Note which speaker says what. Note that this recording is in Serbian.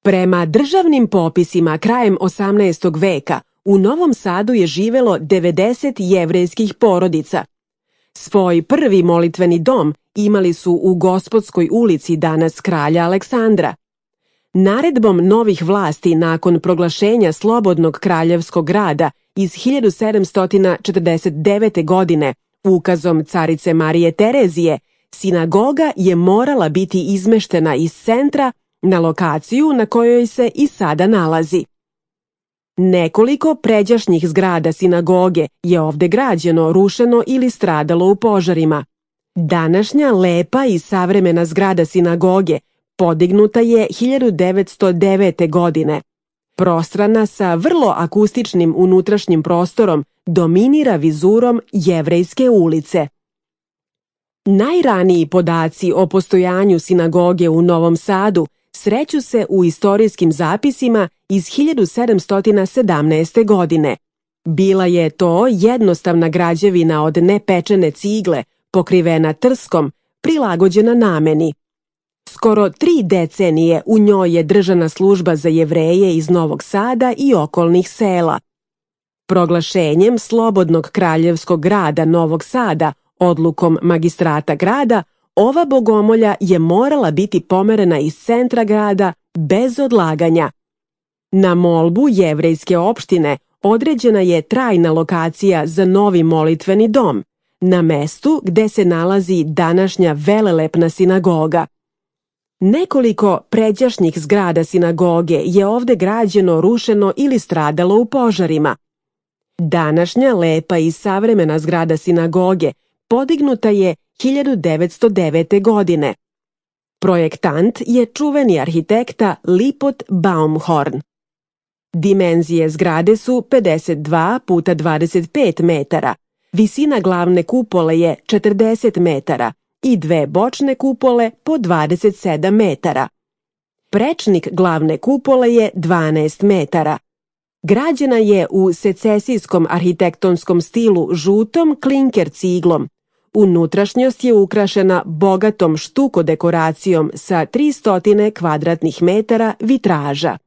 Speaker 1: Prema državnim popisima krajem 18. veka u Novom Sadu je živelo 90 jevrejskih porodica. Svoj prvi molitveni dom imali su u Gospodskoj ulici, danas Kralja Aleksandra. Naredbom novih vlasti nakon proglašenja Slobodnog kraljevskog grada iz 1749. godine, ukazom carice Marije Terezije, sinagoga je morala biti izmeštena iz centra na lokaciju na kojoj se i sada nalazi. Nekoliko pređašnjih zgrada sinagoge je ovde građeno, rušeno ili stradalo u požarima. Današnja lepa i savremena zgrada sinagoge podignuta je 1909. godine. Prostrana sa vrlo akustičnim unutrašnjim prostorom dominira vizurom Jevrejske ulice. Najraniji podaci o postojanju sinagoge u Novom Sadu sreću se u istorijskim zapisima iz 1717. godine. Bila je to jednostavna građevina od nepečene cigle, pokrivena trskom, prilagođena nameni. Skoro 3 decenije u njoj je držana služba za Jevreje iz Novog Sada i okolnih sela. Proglašenjem Slobodnog kraljevskog grada Novog Sada odlukom magistrata grada, ova bogomolja je morala biti pomerena iz centra grada bez odlaganja. Na molbu jevrejske opštine određena je trajna lokacija za novi molitveni dom, na mestu gde se nalazi današnja velelepna sinagoga. Nekoliko pređašnjih zgrada sinagoge je ovde građeno, rušeno ili stradalo u požarima. Današnja lepa i savremena zgrada sinagoge podignuta je 1909. godine. Projektant je čuveni arhitekta Lipot Baumhorn. Dimenzije zgrade su 52 puta 25 metara, visina glavne kupole je 40 metara i 2 bočne kupole po 27 metara. Prečnik glavne kupole je 12 metara. Građena je u secesijskom arhitektonskom stilu žutom klinker ciglom. Unutrašnjost je ukrašena bogatom štuko dekoracijom sa 300 kvadratnih metara vitraža.